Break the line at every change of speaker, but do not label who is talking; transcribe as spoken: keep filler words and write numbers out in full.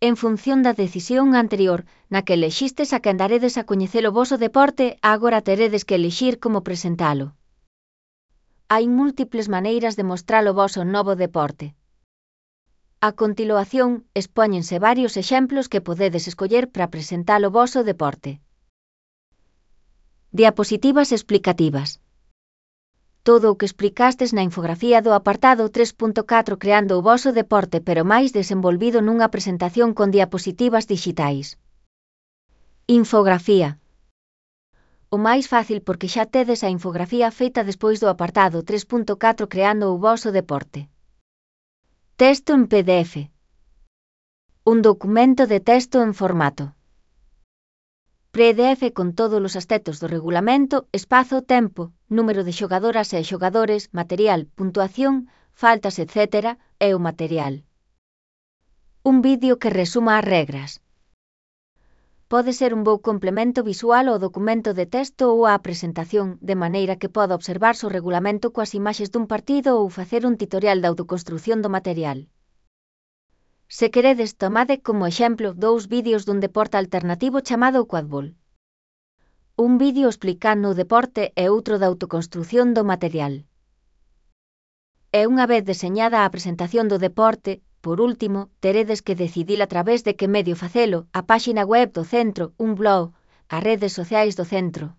En función da decisión anterior, na que elexistes a quen daredes a coñecer o voso deporte, agora teredes que elixir como presentalo. Hai múltiples maneiras de mostrar o voso novo deporte. A continuación, expóñense varios exemplos que podedes escoller para presentar o voso deporte. Diapositivas explicativas. Todo o que explicastes na infografía do apartado tres punto catro creando o voso deporte pero máis desenvolvido nunha presentación con diapositivas dixitais. Infografía. O máis fácil porque xa tedes a infografía feita despois do apartado tres punto catro creando o voso deporte. Texto en P D F. Un documento de texto en formato P D F con todos os aspectos do regulamento, espazo, tempo, número de xogadoras e xogadores, material, puntuación, faltas, etcétera, e o material. Un vídeo que resuma as regras. Pode ser un bo complemento visual ao documento de texto ou á presentación, de maneira que poda observarse o regulamento coas imaxes dun partido ou facer un tutorial de autoconstrución do material. Se queredes, tomade como exemplo dous vídeos dun deporte alternativo chamado quadbol. Un vídeo explicando o deporte e outro da autoconstrución do material. E unha vez deseñada a presentación do deporte, por último, teredes que decidir a través de que medio facelo, a páxina web do centro, un blog, as redes sociais do centro.